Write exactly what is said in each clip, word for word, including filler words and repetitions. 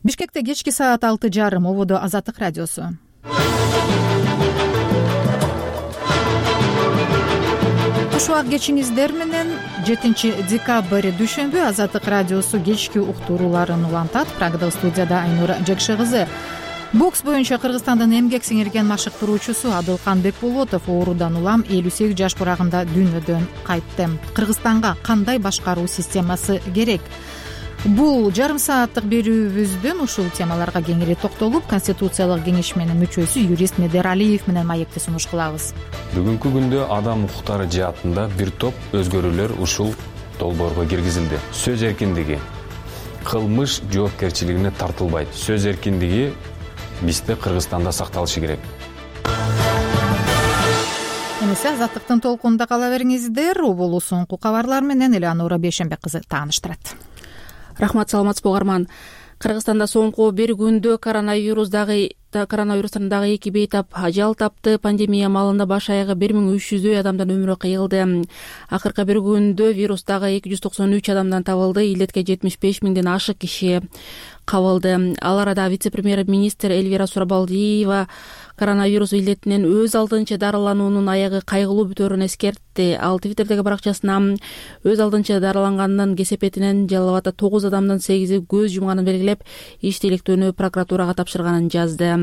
Бишкекте кечки саат алты жарым. Ободо Азаттык радиосу. Куш убак кечиңиздер менен жетинчи декабрь дүйшөмбү Азаттык радиосу кечки уктурууларын улантат. Прагада студияда Айнура Жекше кызы. Бокс боюнча Кыргызстандын эмгек сиңирген машыктыруучусу Адылкан Бекболотов оорудан улам элүү сегиз жаш курагында дүйнөдөн кайтты. Кыргызстанга кандай башкаруу системасы керек? Бул жарым сааттык берүүбүздөн ушул темаларга кеңири токтолуп, Конституциялык кеңешменин мүчөсү юрист Медералиев менен маекти сунуш кылабыз. Бүгүнкү күндө адам укуктары жаатында бир топ өзгөрүүлөр ушул долбоорго киргизилди. Сөз эркиндиги, кылмыш жоопкерчилигине тартылбайт. Сөз эркиндиги бизде Кыргызстанда сакталышы керек. Эмесе Азаттыктын толкунунда кала бериңиздер. Убулу соңку кабарлар менен Элеонора Бейшенбек кызы тааныштырат. Рахмат, саламатсызбы угарман. Кыргызстанда соңку бир күндө коронавирус дагы коронавирустан дагы эки бейтап ажал тапты. Пандемия маалында баш аягы бир миң үч жүздөй адамдан өмүрү кыйылды. Акыркы бир күндө вирус дагы эки жүз токсон үч адамдан табылды. Илдетке жетимиш беш миңден ашык киши кабылды. Ал арада вице-премьер-министр Эльвира Сурабалдиева коронавирус илдетинен өз алдынча дарылануунун аягы кайгылуу бүтөөрүн эскертти. Ал Твиттердеги баракчасына өз алдынча дарыланганын кесепетинен Жалал Абадда тогуз адамдын сегизи көз жумганын белгилеп, иштейликтөөнү прокуратурага тапшырганын жазды.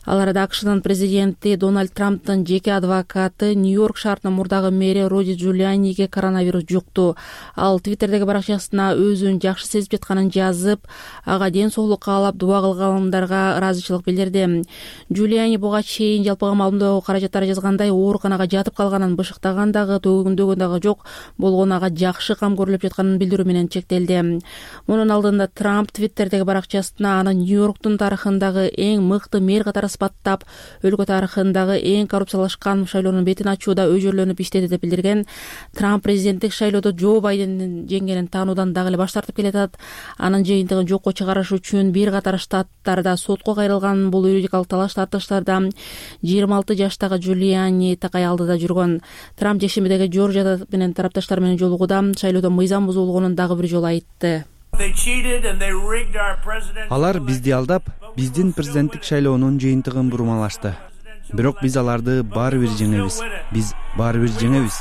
Ал арада АКШнын президенти Дональд Трамптын жеке адвокаты Нью-Йорк шаарынын мурдагы мэри Руди Джулианиге коронавирус жукту. Ал Твиттердеги баракчасына өзүн жакшы сезип жатканын жазып, ага ден соолук каалап, дуба кылгандарга ыраазычылык билдирди. Джулиани буга чейин жалпыга маалымдоо каражаттары жазгандай ооруканага жатып калганын бышыктаган дагы, төгүндөгөн дагы жок, болгону ага жакшы кам көрүлүп жатканын билдирүү менен чектелди. Мунун алдында Трамп Твиттердеги баракчасына аны Нью-Йорктун тарыхындагы эң мыкты мэр катары баттап, өлкө тарыхындагы эң коррупциялашкан шайлоонун бетин ачууда өжөрлөнүп иштеди деп билдирген. Трамп президенттик шайлоодо Джо Байдендин жеңгенин таануудан дагы эле баш тартып келатат. Анын жыйынтыгын жокко чыгарыш үчүн бир катар штаттарда сотко кайрылган. Бул юридикалык талаш тартыштарда жыйырма алты жаштагы Джулиани такай алдыда жүргөн. Трамп жекшембидеги Жоржияда менен тарапташтар менен жолугуда шайлоодо мыйзам бузулгонун дагы бир жолу айтты. Алар бизди алдап, биздин президенттик шайлоонун жыйынтыгын бурмалашты. Бирок биз аларды баары бир жеңебиз. Биз баары бир жеңебиз.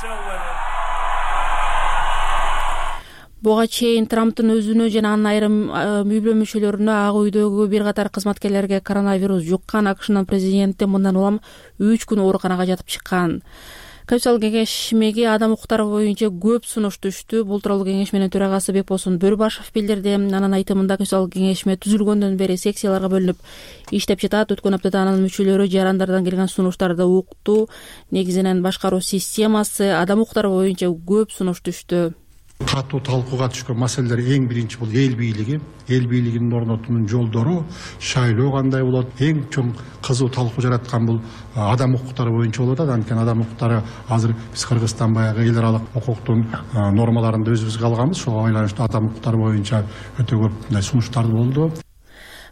Буга чейин Трамптын өзүнө жана анын айрым үй бүлө мүчөлөрүнө Ак үйдөгү бир катар кызматкерлерге коронавирус жуккан. АКШнын президенти мындан улам үч күн ооруканага жатып чыккан. Конституциялык кеңешмеге адам укуктары боюнча көп сунуш түштү. Бул тууралуу кеңешменин төрагасы Бекболсун Бөрбашев билдирди. Анын айтымында Конституциялык кеңешме түзүлгөндөн бери секцияларга бөлүнүп иштеп жатат. Өткөн аптада анын мүчөлөрү жарандардан келген сунуштарды укту. Негизинен башкаруу системасы, адам укуктары боюнча көп сунуш түштү. Катуу талкууга түшкөн маселелер эң биринчи бул эл бийлиги. Эл бийлигинин орнотуунун жолдору, шайлоо кандай болот? Эң чоң кызуу талкуу жараткан бул адам укуктары боюнча болуп атат. Анткени адам укуктары азыр биз Кыргызстан баягы эл аралык укуктун нормаларында өзүбүзгө алганбыз. Ошого байланыштуу адам укуктары боюнча өтө көп мындай сунуштар болду.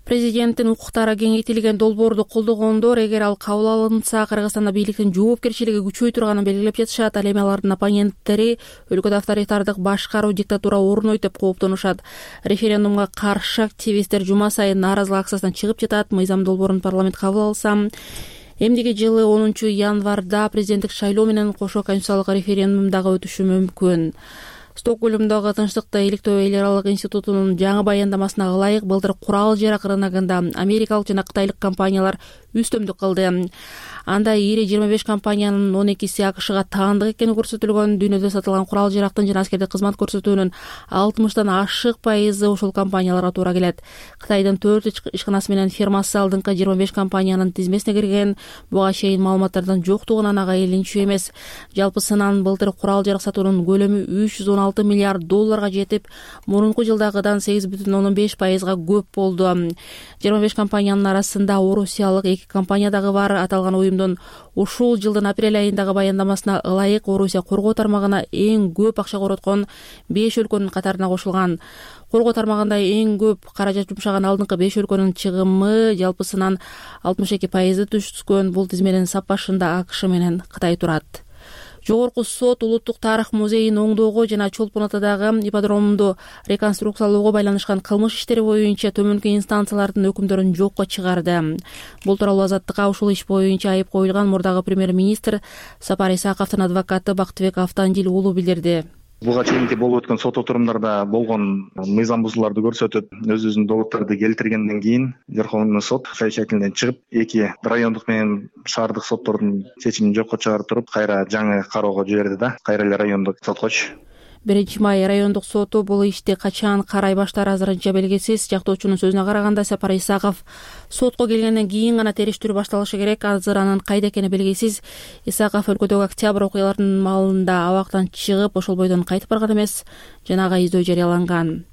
Президенттин укуктары кеңейтилген долбоорду колдогондор, эгер ал кабыл алынса, Кыргызстанда бийликтин жоопкерчилиги күчөй турганын белгилеп жатышат. Ал эми алардын оппоненттери өлкөдө авторитардык башкаруу, диктатура орнойт деп кооптонушат. Референдумга каршы активисттер жума сайын нааразылык акциясына чыгып жатат. Мыйзам долбоорун парламент кабыл алса, эмдиги жылы онунчу январда президенттик шайлоо менен кошо конституциялык референдум дагы өтүшү мүмкүн. Стокгольмдогу Тынчтыкты иликтөө эл аралык институтунун жаңы баяндамасына ылайык, былтыр курал-жарак рыногунда америкалык жана кытайлык компаниялар үстөмдүк кылды. Анда ири жыйырма беш компаниянын он экиси АКШга таандык экени көрсөтүлгөн. Дүйнөдө сатылган курал-жарактын жана аскердик кызмат көрсөтүүнүн алтымыштан ашык пайызы ошол компанияларга туура келет. Кытайдын төрт ишканасы менен фирмасы алдыңкы жыйырма беш компаниянын тизмесине кирген. Буга чейин маалыматтардын жоктугунан ага илинчүү эмес. Жалпысынан былтыр курал-жарак сатуунун көлөмү үч жүз он алты миллиард долларга жетип, мурунку жылдагыдан сегиз бүтүн ондон беш пайызга көп болду. жыйырма беш компаниянын арасында орусиялык эки компания дагы бар. Аталган уюмдун ушул жылдын апрель айындагы баяндамасына ылайык Орусия коргоо тармагына эң көп акча короткон беш өлкөнүн катарына кошулган. Коргоо тармагында эң көп каражат жумшаган алдыңкы беш өлкөнүн чыгымы жалпысынан алтымыш эки пайызды түшкөн. Бул тизменин сап башында АКШ менен Кытай турат. Жогорку сот Улуттук тарых музейин оңдоого жана Чолпон Атадагы ипподромду реконструкциялоого байланышкан кылмыш иштери боюнча төмөнкү инстанциялардын өкүмдөрүн жокко чыгарды. Бул тууралуу Азаттыкка ушул иш боюнча айып коюлган мурдагы премьер-министр Сапар Исаковдун адвокаты Бактыбек Автандил уулу билдирди. Буга чейинки болуп өткөн сот отурумдарда болгон мыйзам бузууларды көрсөтүп, өз-өзүнүн доводдорду келтиргенден кийин Верховный сот совещательден чыгып, эки райондук менен шаардык соттордун чечимин жокко чыгарып туруп, кайра жаңы кароого жиберди да, кайра эле райондук соткочу. биринчи май райондук соту бул ишти качан карай баштаары азырынча белгисиз. Жактоочунун сөзүнө караганда, Сапар Исаков сотко келгенден кийин гана териштирүү башталышы керек. Азыр анын кайда экени белгисиз. Исаков өлкөдөгү октябрь окуяларынын маалында абактан чыгып, ошол бойдон кайтып барган эмес. Жанагы издөө жарыяланган.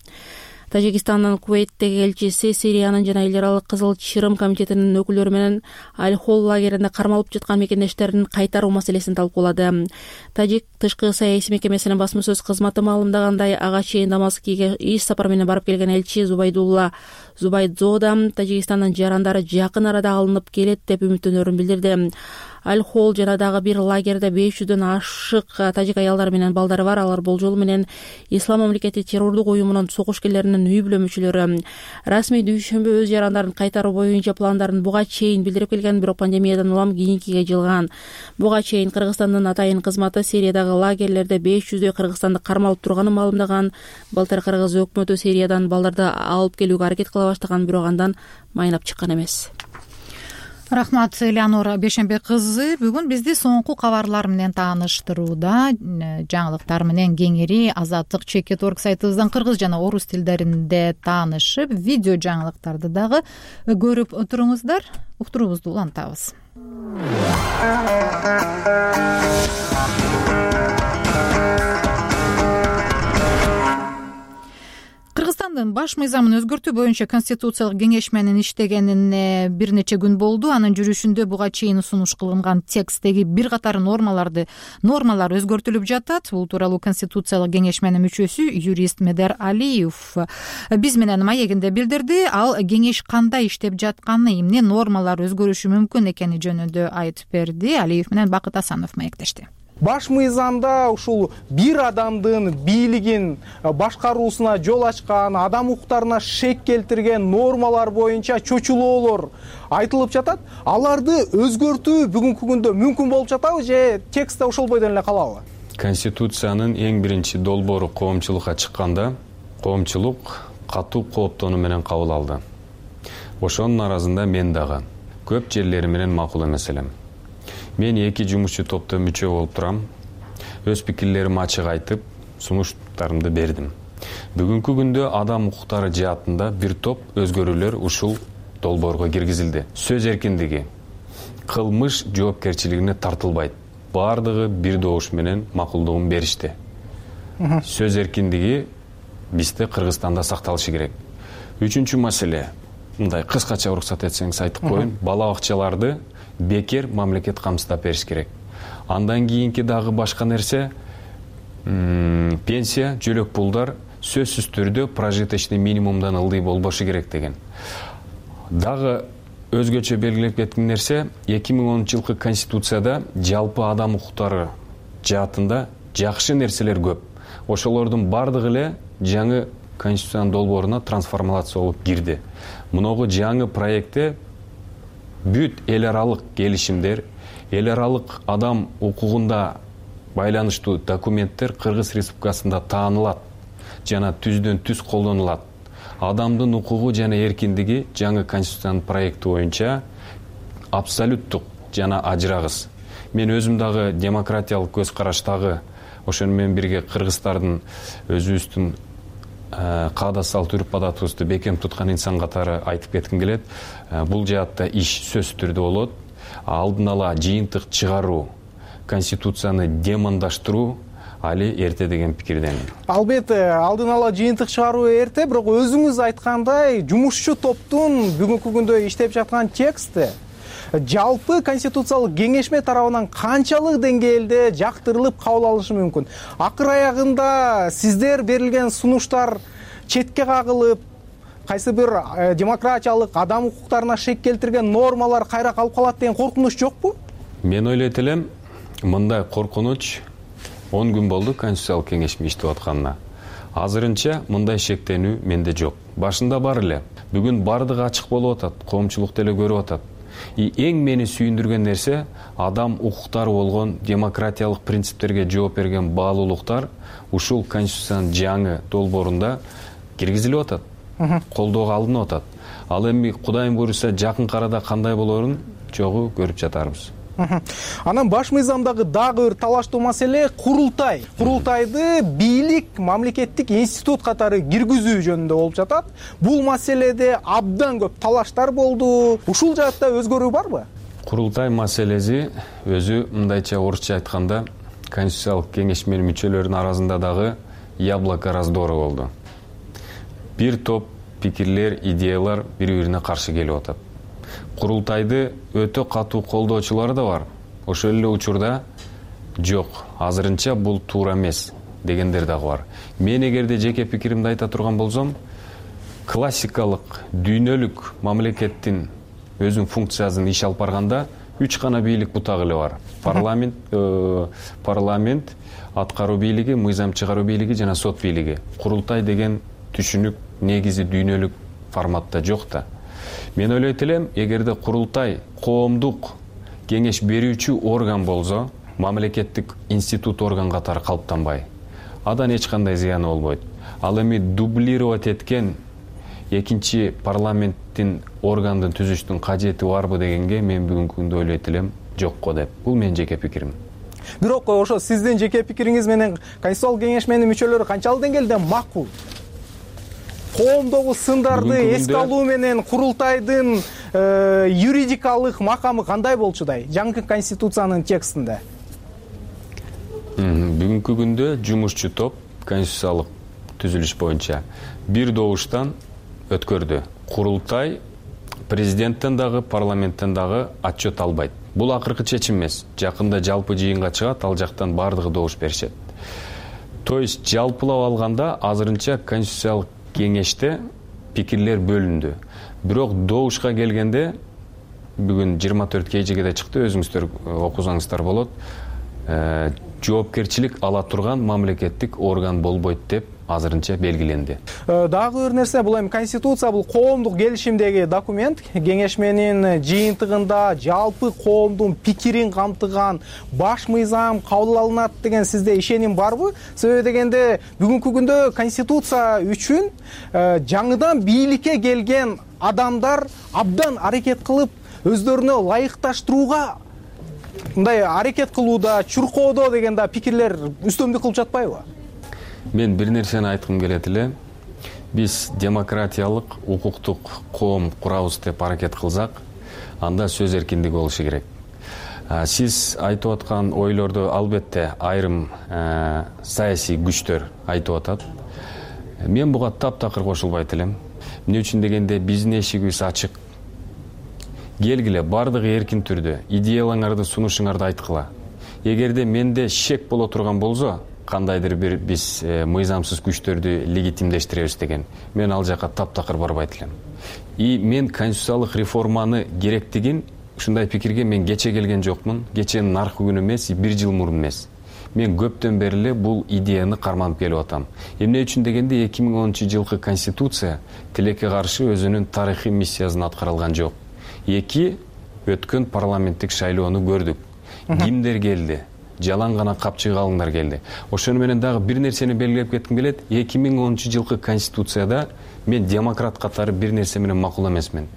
Тажикстандын Кувейттеги элчиси Сириянын жана эл аралык Кызыл Чырым комитетинин өкүлдөрү менен Аль-Холл лагеринде кармалып жаткан мекендештерин кайтаруу маселесин талкуулады. Тажик тышкы саясий мекемесинин басма сөз кызматы маалымдагандай, ага чейин Дамаскиге иш сапар менен барып келген элчи Зубайдулла Зубайдзода Тажикстандын жарандары жакын арада алынып келет деп үмүттөнөрүн билдирди. Аль-Холл жана дагы бир лагерде беш жүздөн ашык тажик аялдары менен балдары бар. Алар болжол менен Ислам мамлекети террордук уюмунун согушкерлеринин үй бүлө мүчөлөрү. Расмий дүйшөмбү өз жарандарын кайтаруу боюнча пландарын буга чейин билдирип келген, бирок пандемиядан улам кийинкиге жылган. Буга чейин Кыргызстандын атайын кызматы Сириядагы лагерлерде беш жүздөй кыргызстандык кармалып турганын маалымдаган. Былтыр Кыргыз өкмөтү Сириядан балдарды алып келүүгө аракет кыла баштаган, бирок андан майнап чыккан эмес. Рахмат, Элеонора Бешембе кызы. Бүгүн бизди соңку кабарлар менен тааныштырууда жаңылыктар менен кеңири Азаттык чекит точка орг сайтыбыздан кыргыз жана орус тилдеринде таанышып, видео жаңылыктарды дагы көрүп туруңуздар. Уктуруубузду улантабыз. Кыргызстандын баш мыйзамын өзгөртүү боюнча Конституциялык кеңешменин иштегенине бир нече күн болду. Анын жүрүшүндө буга чейин сунуш кылынган текстеги бир катар нормаларды нормалар өзгөртүлүп жатат. Бул тууралуу Конституциялык кеңешменин мүчөсү юрист Медер Алиев биз менен маегинде билдирди. Ал кеңеш кандай иштеп жатканы, эмне нормалар өзгөрүшү мүмкүн экени жөнүндө айтып берди. Алиев менен Бакыт Асанов маектешти. Баш мыйзамда ушул бир адамдын бийлигин башкаруусуна жол ачкан, адам укуктарына шек келтирген нормалар боюнча чочулоолор айтылып жатат. Аларды өзгөртүү бүгүнкү күндө мүмкүн болуп жатабы же текстте ошол бойдон эле калабы? Конституциянын эң биринчи долбоору коомчулукка чыкканда, коомчулук катуу кооптонуу менен кабыл алды. Ошонун арасында мен дагы көп жерлери менен макул эмес элем. Мен эки жумушчу топто мүчө болуп турам. Өз пикирлеримди ачык айтып, сунуштарымды бердим. Бүгүнкү күндө адам укуктары жаатында бир топ өзгөрүүлөр ушул долбоорго киргизилди. Сөз эркиндиги, кылмыш жоопкерчилигине тартылбайт. Бардыгы бир добуш менен макулдугун беришти. Сөз эркиндиги бизде Кыргызстанда сакталышы керек. Үчүнчү маселе, мындай кыскача уруксат этсеңиз айтып коеюн, бала бакчаларды бекер мамлекет камсыздап бериш керек. Андан кийинки дагы башка нерсе, пенсия, жөлөк пулдар сөзсүз түрдө прожиточный минимумдан ылдый болбошу керек деген. Дагы өзгөчө белгилеп кеткен нерсе, эки миң онунчу жылкы Конституцияда жалпы адам укуктары жаатында жакшы нерселер көп. Ошолордун бардыгы эле жаңы Конституциянын долбооруна трансформация болуп кирди. Муногу жаңы проектте бүт эл аралык келишимдер, эл аралык адам укугунда байланыштуу документтер Кыргыз Республикасында таанылат жана түздөн түз колдонулат. Адамдын укугу жана эркиндиги жаңы Конституциянын проекти боюнча абсолюттук жана ажырагыс. Мен өзүм дагы демократиялык көз караштагы, ошону менен бирге кыргыздардын өзүбүздүн каадасал түрүп адатыбызды бекем туткан инсан катары айтып кетким келет. Бул жаатта иш сөз түрдө болот. Алдын ала жыйынтык чыгаруу, Конституцияны демондаштыруу али эрте деген пикирдемин. Албетте, алдын ала жыйынтык чыгаруу эрте, бирок өзүңүз айткандай, жумушчу топтун бүгүнкү күндө иштеп жаткан тексти жалпы Конституциялык кеңешме тарабынан канчалык деңгээлде жактырылып кабыл алышы мүмкүн? Акыр аягында сиздер берилген сунуштар четке кагылып, кайсы бир демократиялык адам укуктарына шек келтирген нормалар кайра калып калат деген коркунуч жокпу? Мен ойлойт элем, мындай коркунуч он күн болду Конституциялык кеңештин иштеп атканына. Азырынча мындай шектенүү менде жок. Башында бар эле. Бүгүн бардыгы ачык болуп атат, коомчулук деле көрүп атат. И эң мени сүйүндүргөн нерсе адам укуктары болгон демократиялык принциптерге жооп берген баалуулуктар ушул Конституциянын жаңы долбоорунда киргизилип атат, колдоого алынып атат. Ал эми Кудайым буйруса жакынкы арада кандай болорун чогуу көрүп жатарбыз. Анан баш мыйзамдагы дагы бир талаштуу маселе курултай. Курултайды бийлик мамлекеттик институт катары киргизүү жөнүндө болуп жатат. Бул маселеде абдан көп талаштар болду. Ушул жаатта өзгөрүү барбы? Курултай маселеси өзү мындайча орусча айтканда Конституциялык кеңеш менен мүчөлөрдүн арасында дагы яблоко раздора болду. Бир топ пикирлер, идеялар бири-бирине каршы келип атат. Курултайды өтө катуу колдоочулар да бар. Ошол эле учурда жок, азырынча бул туура эмес дегендер дагы бар. Мен эгерде жеке пикиримди айта турган болсом, классикалык дүйнөлүк мамлекеттин өзүнүн функциясын иш алып барганда үч гана бийлик бутагы эле бар. Парламент, э, парламент, аткаруу бийлиги, мыйзам чыгаруу бийлиги жана сот бийлиги. Курултай деген түшүнүк негизи дүйнөлүк форматта жок да. Мен ойлойт элем, эгерде курултай коомдук кеңеш берүүчү орган болсо, мамлекеттик институт орган катары калыптанбай, адан эч кандай зыяны болбойт. Ал эми дублировать эткен экинчи парламенттин органдын түзүштүн кажети барбы дегенге мен бүгүнкү күндө ойлойт элем, жокко деп. Бул менин жеке пикирим. Бирок ошо сиздин жеке пикириңиз менен Конституциялык кеңеш менен мүчөлөрү канчалык деңгээлде макул? Коомдогу сындарды эске алуу менен курултайдын юридикалык макамы кандай болчудай жаңы Конституциянын текстинде? Бүгүнкү күндө жумушчу топ конституциялык түзүлүш боюнча бир добуштан өткөрдү. Курултай президенттен дагы, парламенттен дагы отчет албайт. Бул акыркы чечим эмес. Жакында жалпы жыйынга чыгат, ал жактан бардыгы добуш беришет. То есть жалпылап алганда азырынча конституциялык кеңеште пикирлер бөлүндү. Бирок добушка келгенде бүгүн жыйырма төрт кежегеде чыкты, өзүңүздөр окусаңыздар болот. Жоопкерчилик ала турган мамлекеттик орган болбойт деп азырынча белгиленди. Дагы бир нерсе, бул эми Конституция бул коомдук келишимдеги документ. Кеңеш менин жыйынтыгында жалпы коомдун пикирин камтыган баш мыйзам кабыл алынат деген сизде ишеним барбы? Себеби дегенде бүгүнкү күндө Конституция үчүн жаңыдан бийликке келген адамдар абдан аракет кылып өздөрүнө ылайыкташтырууга мындай аракет кылууда, чуркоодо деген да пикирлер үстөмдүк кылып жатпайбы? Мен бир нерсени айткым келет эле. Биз демократиялык, укуктук коом курабыз деп аракет кылсак, анда сөз эркиндиги болушу керек. Сиз айтып аткан ойлорду албетте айрым саясий күчтөр айтып атат. Мен буга таптакыр кошулбайт элем. Эмне үчүн дегенде биздин эшигибиз ачык. Келгиле, бардыгы эркин түрдө идеяларыңарды сунушуңарды айткыла. Эгерде менде шек боло турган болсо, кандайдыр бир биз мыйзамсыз күчтөрдү легитимдештиребиз деген, мен ал жака таптакыр барбайт элем. И мен конституциялык реформаны керектигин ушундай пикирге мен кече келген жокмун. Кеченин аркы күнү эмес, бир жыл мурун эмес. Мен көптөн бери эле бул идеяны карманып келип атам. Эмне үчүн дегенде эки миң онунчу жылкы конституция тилекке каршы өзүнүн тарыхый миссиясын аткара алган жок. Эки өткөн парламенттик шайлоону көрдүк. Кимдер келди? Жалаң гана капчыгалыңдар келди. Ошону менен дагы бир нерсени белгилеп кетким келет. эки миң онунчу жылкы конституцияда мен демократ катары бир нерсе менен макул эмесмин.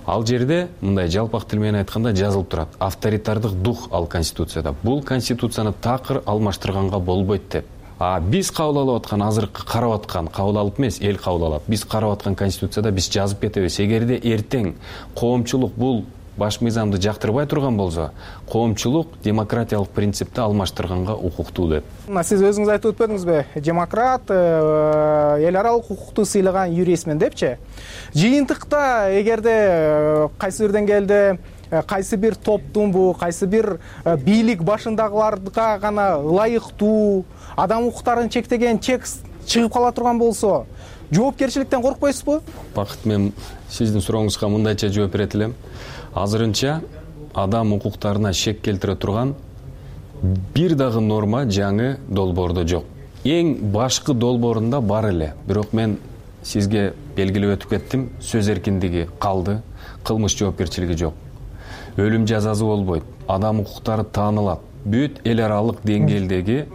Ал жерде мындай жалпак тил менен айтканда жазылып турат. Авторитардык дух ал конституцияда. Бул конституцияны такыр алмаштырганга болбойт деп. А биз кабыл алып аткан, азыркы карап аткан, кабыл алып эмес, эл кабыл алат. Биз карап аткан конституцияда биз жазып кетебиз. Эгерде эртең коомчулук бул баш мыйзамды жактырбай турган болсо, коомчулук демократиялык принципти алмаштырганга укуктуу деп. Сиз өзүңүз айтып өтпөдүңүзбү? Демократ, эл аралык укукту сыйлаган юристмин депчи. Жыйынтыкта эгерде кайсы бир деңгээлде кайсы бир топтунбу, кайсы бир бийлик башындагыларга гана ылайыктуу, адам укуктарын чектеген текст чыгып кала турган болсо, жоопкерчиликтен коркпойсузбу? Бакыт, мен сиздин сурооңузга мындайча жооп берет элем. Азырынча адам укуктарына шек келтире турган бир дагы норма жаңы долбоордо жок. Эң башкы долбоорунда бар эле, бирок мен сизге белгилеп өтүп кеттим, сөз эркиндиги калды, кылмыш жоопкерчилиги жок. Өлүм жазасы болбойт, адам укуктары таанылат. Бүт эл аралык деңгээлдеги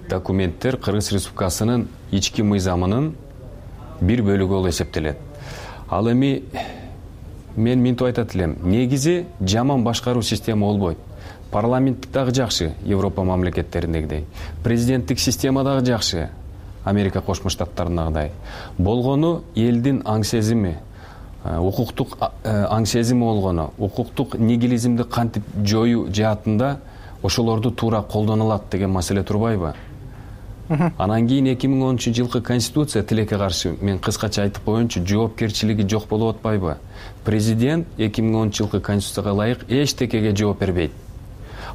документтер Кыргыз Республикасынын ички мыйзамынын бир бөлүгү болуп эсептелет. Ал эми мен минтип айтат элем, негизи жаман башкаруу система болбойт. Парламенттик дагы жакшы, Европа мамлекеттериндегидей. Президенттик система дагы жакшы, Америка Кошмо Штаттарындагыдай. Болгону элдин аң сезими, укуктук аң сезими болгону, укуктук нигилизмди кантип жоюу жаатында ошолорду туура колдонулат деген маселе турбайбы? Анан кийин эки миң онунчу жылкы конституция тилекке каршы, мен кыскача айтып коеюнчу, жоопкерчилиги жок болуп атпайбы? Президент эки миң онунчу жылкы конституцияга ылайык эчтекеге жооп бербейт.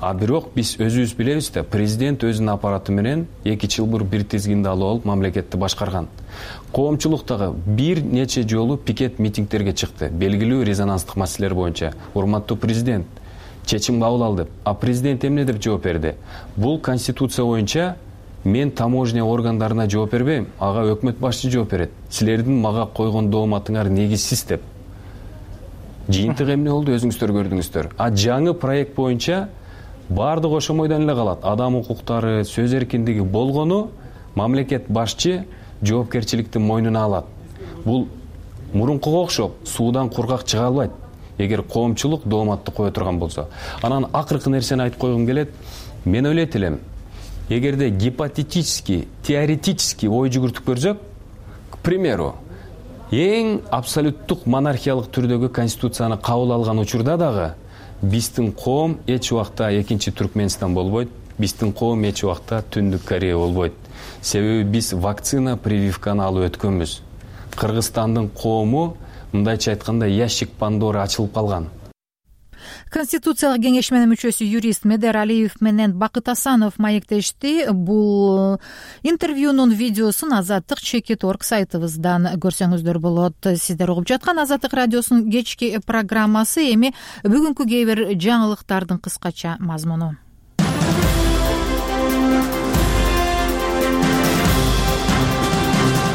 А бирок биз өзүбүз билебиз да, президент өзүнүн аппараты менен эки чылбыр бир тизгинди алып алып мамлекетти башкарган. Коомчулуктагы бир нече жолу пикет митингтерге чыкты, белгилүү резонанстык маселелер боюнча. Урматтуу президент, чечим кабыл ал деп. А президент эмне деп жооп берди? Бул конституция боюнча мен таможня органдарына жооп бербейм, ага өкмөт башчы жооп берет. Силердин мага койгон дооматыңар негизсиз деп. Жыйынтык эмне болду, өзүңүздөр көрдүңүздөр. А жаңы проект боюнча баардык ошомойдон эле калат. Адам укуктары, сөз эркиндиги болгону мамлекет башчы жоопкерчиликти мойнуна алат. Бул мурункуга окшоп суудан кургак чыга албайт, эгер коомчулук дооматты кое турган болсо. Анан акыркы нерсени айтып койгум келет. Мен ойлойт элем, эгерде гипотетически, теоретически ой жүгүртүп көрсөк, к примеру, эң абсолюттук монархиялык түрдөгү конституцияны кабыл алган учурда дагы биздин коом эч убакта экинчи Түркменстан болбойт, биздин коом эч убакта Түндүк Корея болбойт. Себеби биз вакцина прививканы алып өткөнбүз. Кыргызстандын коому, мындайча айтканда, ящик Пандора ачылып калган. Конституциялык кеңешменин мүчөсү юрист Медер Алиев менен Бакыт Асанов маектешти. Бул интервьюнун видеосун Азаттык чекит точка орг сайтыбыздан көрсөңүздөр болот. Сиздер угуп жаткан Азаттык радиосунун кечки программасы. Эми бүгүнкү кээ бир жаңылыктардын кыскача мазмуну.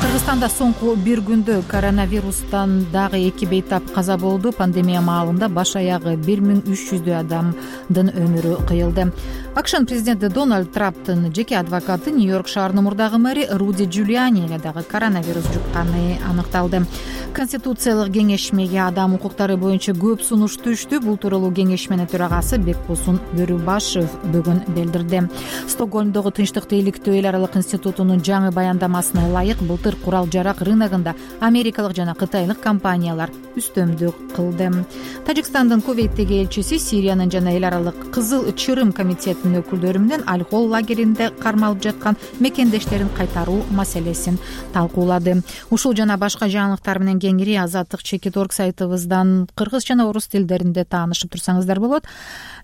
Кыргызстанда соңку бир күндө коронавирустан дагы эки бейтап каза болду. Пандемия маалында баш аягы бир миң үч жүздөй адамдын өмүрү кыйылды. АКШнын президенти Дональд Трамптын жеке адвокаты Нью-Йорк шаарынын мурдагы мэри Руди Джулиани дагы коронавирус жукканы аныкталды. Конституциялык кеңешмеге адам укуктары боюнча көп сунуш түштү. Бул тууралуу кеңешменин төрагасы Бекбосун Бөрүбашев бүгүн билдирди. Стокгольмдогу Тынчтыкты иликтөө эл аралык институтунун жаңы баяндамасына ылайык былтыр курал жарак рыногунда америкалык жана кытайлык компаниялар үстөмдүк кылды. Тажикстандын Кувейттеги элчиси Сириянын жана эл аралык Кызыл Чырым комитетинин өкүлдөрү менен Аль-Хол лагеринде кармалып жаткан мекендештерин кайтаруу маселесин талкуулады. Ушул жана башка жаңылыктар менен кеңири Азаттык чекит точка орг сайтыбыздан кыргыз жана орус тилдеринде таанышып турсаңыздар болот.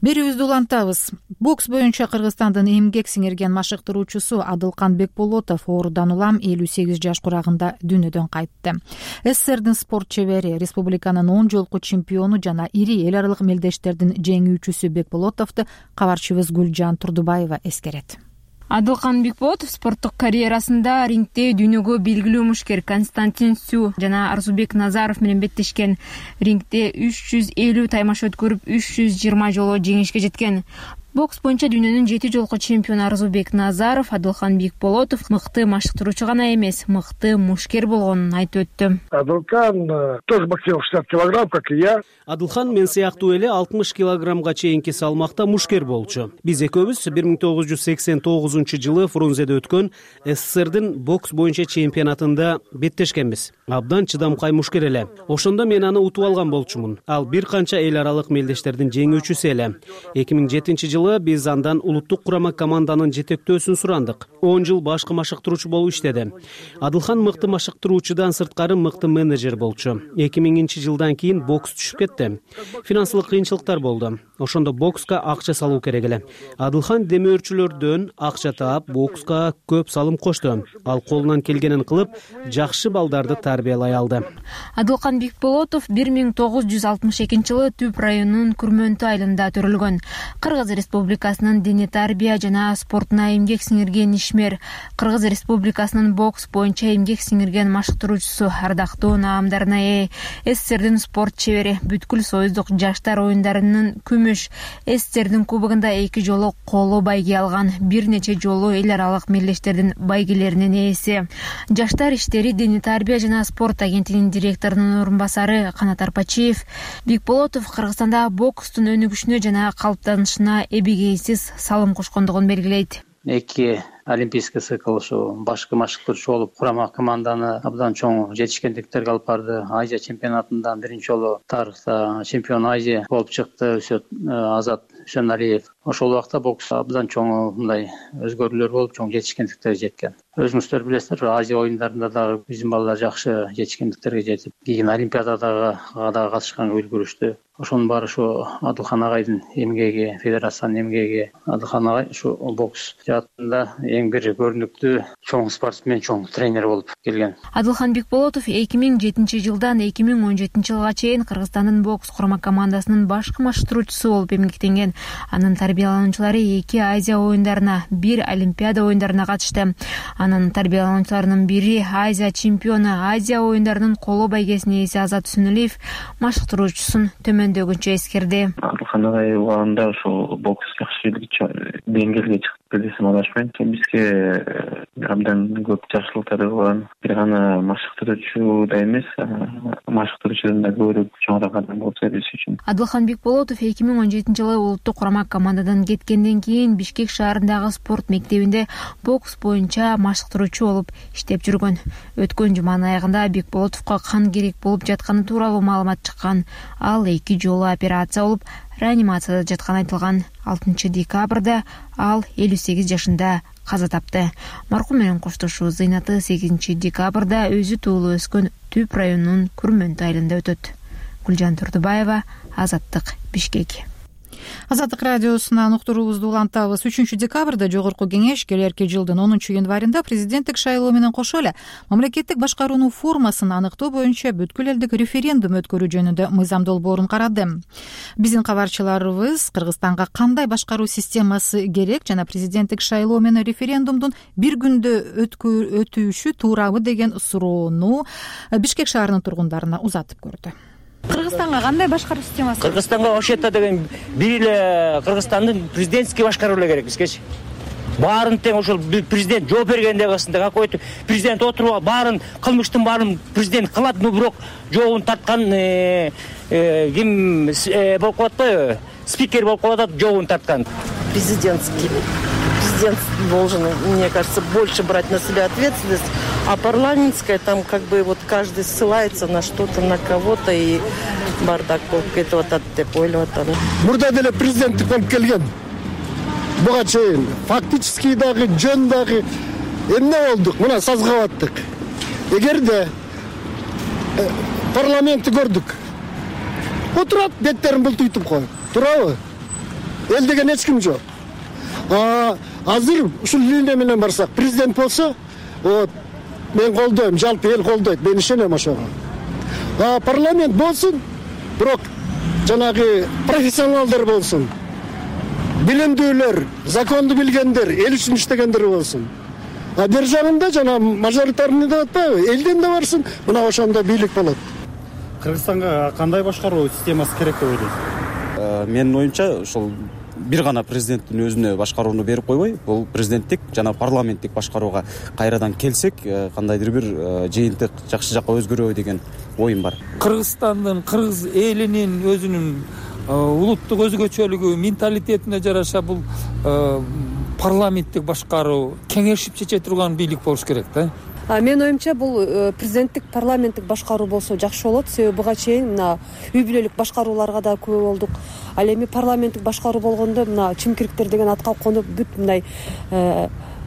Берүүбүздү улантабыз. Бокс боюнча Кыргызстандын эмгек сиңирген машыктыруучусу Адылкан Бекболотов оорудан улам элүү сегиз жаш курагында дүйнөдөн кайтты. СССРдин спорт чебери, республиканын он жолку чемпиону жана ири эл аралык мелдештердин жеңүүчүсү Бекболотовду кабарчыбыз Гүлжан Турдубаева эскерет. Адылкан Бекболотов спорттук карьерасында рингде дүйнөгө белгилүү мушкер Константин Сю жана Арзубек Назаров менен беттешкен. Рингде үч жүз элүү таймаш өткөрүп, үч жүз жыйырма жолу жеңишке жеткен. Бокс боюнча дүйнөнүн жети жолку чемпиону Арзубек Назаров Адылкан Бекболотов мыкты машыктыруучу гана эмес, мыкты мушкер болгонун айтып өттү. Адылкан тоже боксировал шестьдесят килограмм, как и я. Адылхан мен сыяктуу эле алтымыш килограммга чейинки салмакта мушкер болчу. Биз экөөбүз бир миң тогуз жүз сексен тогузунчу жылы Фрунзеде өткөн СССРдин бокс боюнча чемпионатында беттешкенбиз. Абдан чыдамкай мушкер эле. Ошондо мен аны утуп алган болчумун. Ал бир канча эл аралык мелдештердин жеңүүчүсү эле. эки миң жетинчи жылы биз андан улуттук курама команданын жетектөөсүн сурандык. он жыл башкы машыктыруучу болуп иштеди. Адылхан мыкты машыктыруучудан сырткары мыкты менеджер болчу. эки миңинчи жылдан кийин бокс түшүп кетти. Финансылык кыйынчылыктар болду. Ошондо бокска акча салуу керек эле. Адылхан демөөрчүлөрдөн акча таап, бокска көп салым кошту. Ал колунан келгенин кылып, жакшы балдарды тарбиялай алды. Адылкан Бекболотов бир миң тогуз жүз алтымыш экинчи жылы Түп районунун Күрмөнтү айылында төрөлгөн. Кыргыз Республикасы Республикасынын дене тарбия жана спортуна эмгек сиңирген ишмер, Кыргыз Республикасынын бокс боюнча эмгек сиңирген машыктыруучусу, ардактуу наамдарына ээ СССРдин спорт чебери, бүткүл союздук жаштар оюндарынын күмүш, СССРдин кубогунда эки жолу коло байге алган, бир нече жолу эл аралык мелдештердин байгелеринин ээси. Жаштар иштери дене тарбия жана спорт агенттигинин директорунун орун басары Канат Арпачиев Бикболотов Кыргызстанда бокстун өнүгүшүнө жана калыптанышына эбегейсиз салым кошкондугун белгилейт. Эки олимпийский цикл ушу башкы машыктыруучу болуп, курама команданы абдан чоң жетишкендиктерге алып барды. Азия чемпионатында биринчи жолу тарыхта чемпион Азия болуп чыкты Азат Үсөналиев. Ошол убакта бокс абдан чоң мындай өзгөрүүлөр болуп, чоң жетишкендиктерге жеткен. Өзүңүздөр билесиздер, Азия оюндарында дагы биздин балдар жакшы жетишкендиктерге жетип, кийин Олимпиадага дагы катышканга үлгүрүштү. Ошонун баары ушу Адылхан агайдын эмгеги, федерациянын эмгеги. Адылхан агай ушу бокс жаатында эң бир көрүнүктүү чоң спортсмен, чоң тренер болуп келген. Адылхан Бикболотов эки миң жетинчи жылдан эки миң он жетинчи жылга чейин Кыргызстандын бокс курама командасынын башкы машыктыруучусу болуп эмгектенген. Анын тарбиялануучулары эки Азия оюндарына, бир Олимпиада оюндарына катышты. Анын тарбиялануучуларынын бири Азия чемпиону, Азия оюндарынын коло байгесинин ээси Азат Үсөналиев машыктыруучусун төмөндөгүнчө эскерди. Адылхан агай убагында ушул бокс жакшы деңгээлге чыгып десем адашпайм. Бизге абдан көп жакшылыктары болгон. Бир гана машыктыруучу да эмес, машыктыруучудан да көрүп чоңураак адам болсо биз үчүн. Адылхан Бикболотов эки миң он жетинчи жылы улуттук курама командадан кеткенден кийин Бишкек шаарындагы спорт мектебинде бокс боюнча машыктыруучу болуп иштеп жүргөн. Өткөн жуманын аягында Бикболотовго кан керек болуп жатканы тууралуу маалымат чыккан. Ал эки жолу операция болуп, реанимацияда жатканы айтылган. алтынчы декабрда ал элүү сегиз жашында каза тапты. Маркум менен коштошуу зыйнаты сегизинчи декабрда өзү туулуп өскөн Түп районунун Күрмөнтү айылында өтөт. Гүлжан Турдубаева, Азаттык, Бишкек. Азаттык радиосунан уктуруубузду улантабыз. үчүнчү декабрда Жогорку кеңеш келерки жылдын онунчу январында президенттик шайлоо менен кошо эле мамлекеттик башкаруунун формасын аныктоо боюнча бүткүл элдик референдум өткөрүү жөнүндө мыйзам долбоорун карады. Биздин кабарчыларыбыз Кыргызстанга кандай башкаруу системасы керек жана президенттик шайлоо менен референдумдун бир күндө өтүшү туурабы деген суроону Бишкек шаарынын тургундарына узатып көрдү. Кыргызстанга кандай башкаруу системасы? Кыргызстанга вообще-то деген бир эле Кыргызстандын президентский башкаруу эле керек бизгечи. Баарын тең ошол президент жооп бергенде кылсында, какой-то президент отуруп баарын кылмыштын баарын президент кылат, но бирок жообун тарткан ким болуп калат атпайбы? Спикер болуп калат, жообун тарткан. Президентский. Президент должен, мне кажется, больше брать на себя ответственность, а парламентская там как бы вот каждый ссылается на что-то, на кого-то и бардак болуп кетип атат деп ойлоп атам. Мурда деле президенттик болуп келген. Буга чейин фактически дагы жөн дагы эмне болдук? Мына сазга баттык. Эгерде парламентти көрдүк. Отурат, беттерин бултуйтуп коюп. Турабы? Эл деген эч ким жок. А азыр ушул линия менен барсак, президент болсо, вот мен колдойм, жалпы эл колдойт, мен ишенем ошого. А парламент болсун, бирок жанагы профессионалдар болсун. Билимдүүлөр, законду билгендер, эл үчүн иштегендер болсун. А бер жагында жана мажоритарный деп атпайбы, элден да барсын, мына ошондо бийлик болот. Кыргызстанга кандай башкаруу системасы керек деп ойлойсуз? Менин оюмча, ошол бир гана президенттин өзүнө башкарууну берип койбой, бул президенттик жана парламенттик башкарууга кайрадан келсек, кандайдыр бир жыйынтык жакшы жакка өзгөрөбү деген оюм бар. Кыргызстандын, кыргыз элинин өзүнүн улуттук өзгөчөлүгү, менталитетине жараша бул парламенттик башкаруу, кеңешип чече турган бийлик болуш керек да. Менин оюмча бул президенттик парламенттик башкаруу болсо жакшы болот. Себеби буга чейин мына үй бүлөлүк башкарууларга да күбө болдук. Ал эми парламенттик башкаруу болгондо мына чимкириктер деген атка конуп бүт мындай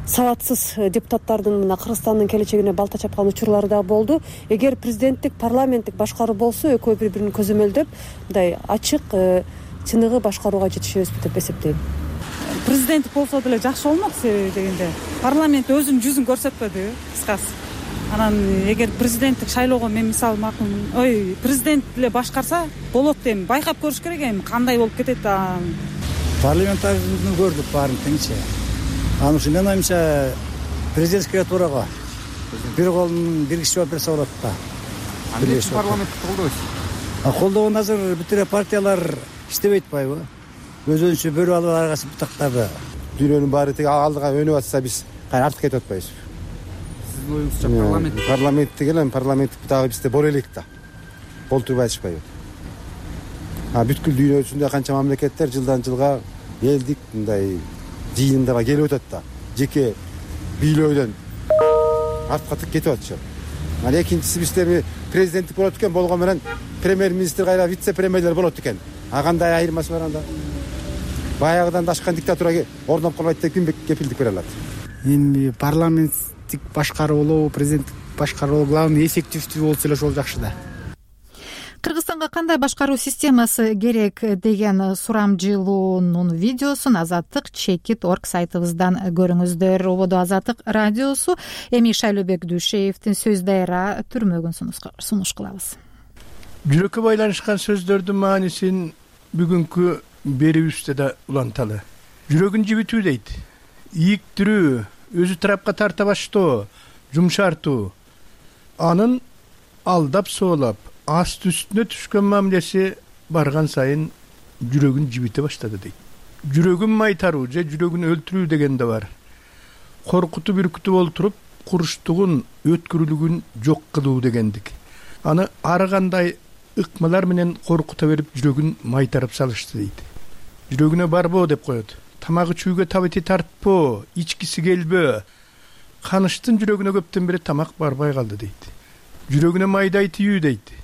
сабатсыз депутаттардын мына Кыргызстандын келечегине балта чапкан учурлары да болду. Эгер президенттик парламенттик башкаруу болсо, экөө бири-бирин көзөмөлдөп, мындай ачык, чыныгы башкарууга жетишебизби деп эсептейм. Президент болсо деле жакшы болмок, себеби дегенде парламент өзүнүн жүзүн көрсөтпөдү, кыскасы. Анан эгер президенттик шайлоого мен мисалы макулмун, ой, президент эле башкарса болот дейм. Байкап көрүш керек эми кандай болуп кетет. парламентарийдү көрдүк баарын теңчи. Анан ушу менин оюмча президентскийге туура го. Бир колун бир киши жооп берсе болот да. Андайча парламентти колдойсуз? Колдогон азыр бүт эле партиялар иштебей атпайбы? Өзүнчө бөлүп алып аргасы бутактады. Дүйнөнүн баары тиги алдыга өнүп атса биз кайра артка кетип атпайбызбы? Сиздин оюңузча парламент парламентти келем, парламент дагы бизде боло элек да. Болтурбай атышпайбы? А бүткүл дүйнөсүндө канча мамлекеттер жылдан жылга элдик мындай жыйындарга келип атат да. Жеке бийлөөдөн артка кетип атышат. Анан экинчиси бизде президенттик болот экен, болгон менен премьер-министр кайра вице-премьерлер болот экен. А кандай айырмасы бар анда? Баягыдан дашкан диктатура орноп калбайт деп ким кепилдик бере алат? Эми парламенттик башкаруу болобу, президенттик башкаруу болобу, главный эффективдүү болсо эле ошол жакшы да. Кыргызстанга кандай башкаруу системасы керек деген сурамжылоонун видеосун Азаттык чекит точка орг сайтыбыздан көрүңүздөр. Ободо Азаттык радиосу. Эми Шайлообек Дүйшеевдин сөз дайра түрмөгүн сунуш кылабыз. Жүрөккө байланышкан сөздөрдүн маанисин бүгүнкү берүүбүздө да уланталы. Жүрөгүн жибитүү дейт. Ийиктирүү, өзү тарапка тарта баштоо, жумшартуу. Анын алдап соолап, аст үстүнө түшкөн мамилеси барган сайын жүрөгүн жибите баштады дейт. Жүрөгүн майтаруу же жүрөгүн өлтүрүү деген да бар. Коркутуп үркүтүп олтуруп, курчтугун, өткүрүлүгүн жок кылуу дегендик. Аны ар кандай ыкмалар менен коркута берип жүрөгүн майтарып салышты дейт. Жүрөгүнө барбоо деп коет. Тамагы чүүгө табити тартпоо, ичкиси келбөө. Каныштын жүрөгүнө көптөн бери тамак барбай калды дейт. Жүрөгүнө майдай тийүү дейт.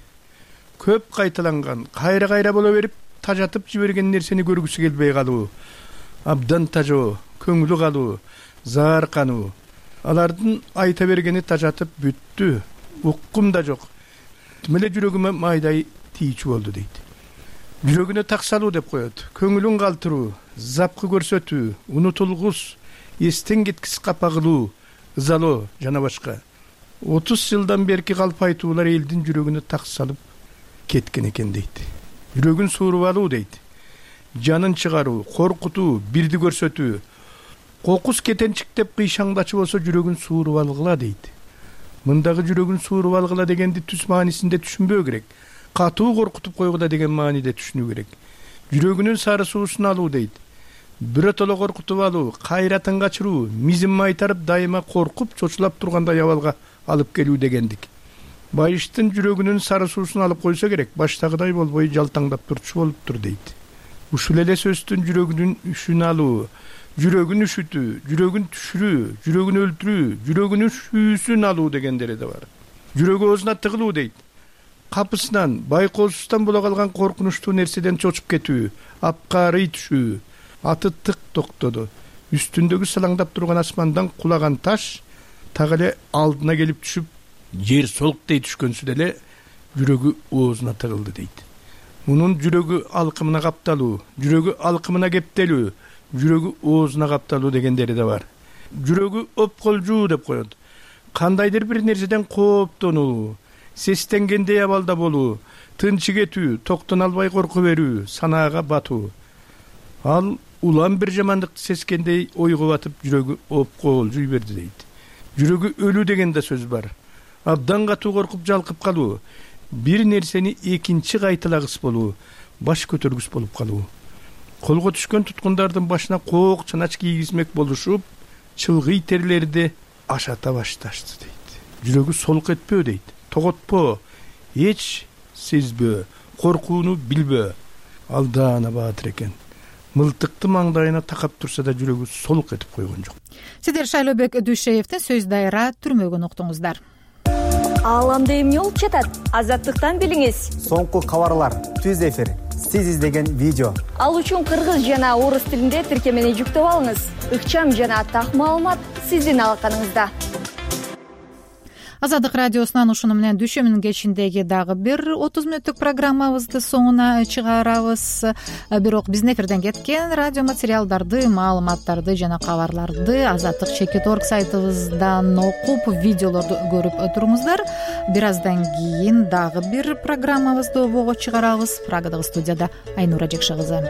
Көп кайталанган, кайра-кайра боло берип, тажатып жиберген нерсени көргүсү келбей калуу, абдан тажоо, көңүлү калуу, зааркануу. Алардын айта бергени тажатып бүттү, уккум да жок. Тимеле жүрөгүмө майдай тийчү болду дейт. Жүрөгүнө так салуу деп коет. Көңүлүн калтыруу, запкы көрсөтүү, унутулгус, эстен кеткис капа кылуу, ызалоо жана башка. отуз жылдан берки калп айтуулар элдин жүрөгүнө так салып кеткен экен дейт. Жүрөгүн сууруп алуу дейт. Жанын чыгаруу, коркутуу, бирди көрсөтүү. Кокус кетенчик деп кыйшаңдачы болсо жүрөгүн сууруп алгыла дейт. Мындагы жүрөгүн сууруп алгыла дегенди түз маанисинде түшүнбөө керек. Катуу коркутуп койгула деген мааниде түшүнүү керек. Жүрөгүнүн сары суусун алуу дейт. Биротоло коркутуп алуу, кайратын качыруу, мизин майтарып дайыма коркуп чочулап тургандай абалга алып келүү дегендик. Байыштын жүрөгүнүн сары суусун алып койсо керек, баштагыдай болбой жалтаңдап турчу болуптур дейт. Ушул эле сөздүн жүрөгүнүн үшүн алуу, жүрөгүн үшүтүү, жүрөгүн түшүрүү, жүрөгүн өлтүрүү, жүрөгүнүн шүүсүн алуу дегендери да бар. Жүрөгү оозуна тыгылуу дейт. Капысынан, байкоосуздан боло калган коркунучтуу нерседен чочуп кетүү, апкаарый түшүү. Аты тык токтоду. Үстүндөгү салаңдап турган асмандан кулаган таш так эле алдына келип түшүп, жер солктей түшкөнсү деле жүрөгү оозуна тыгылды дейт. Мунун жүрөгү алкымына капталуу, жүрөгү алкымына кептелүү, жүрөгү оозуна капталуу дегендери да бар. Жүрөгү опколжуу деп коет. Кандайдыр бир нерседен кооптонуу, сестенгендей абалда болуу, тынчы кетүү, токтон албай корку берүү, санаага батуу. Ал улам бир жамандыкты сескендей ойго батып жүрөгү опколжуй берди дейт. Жүрөгү өлүү деген да сөз бар. Абдан катуу коркуп жалкып калуу, бир нерсени экинчи кайталагыс болуу, баш көтөргүс болуп калуу. Колго түшкөн туткундардын башына коок чанач кийгизмек болушуп, чылгый терлерди ашата башташты дейт. Жүрөгү солк этпөө дейт, тоготпоо, эч сезбөө, коркууну билбөө. Алдаана баатыр экен. Мылтыкты маңдайына такап турса да жүрөгү солк этип койгон жок. Сиздер Шайлообек Дүйшеевдин сөз дайра түрмөгүн уктуңуздар. Ааламда эмне болуп жатат? Азаттыктан билиңиз. Соңку кабарлар, түз эфир, сиз издеген видео. Ал үчүн кыргыз жана орус тилинде тиркемени жүктөп алыңыз. Ыкчам жана так маалымат сиздин алаканыңызда. Азаттык радиосунан ушуну менен дүйшөмүнүн кечиндеги дагы бир отуз мүнөттүк программабызды соңуна чыгарабыз. Бирок биздин эфирден кеткен радио материалдарды, маалыматтарды жана кабарларды Азаттык чекит точка орг сайтыбыздан окуп, видеолорду көрүп туруңуздар. Бир аздан кийин дагы бир программабызды обого чыгарабыз. Прагадагы студияда Айнура Жекше кызы.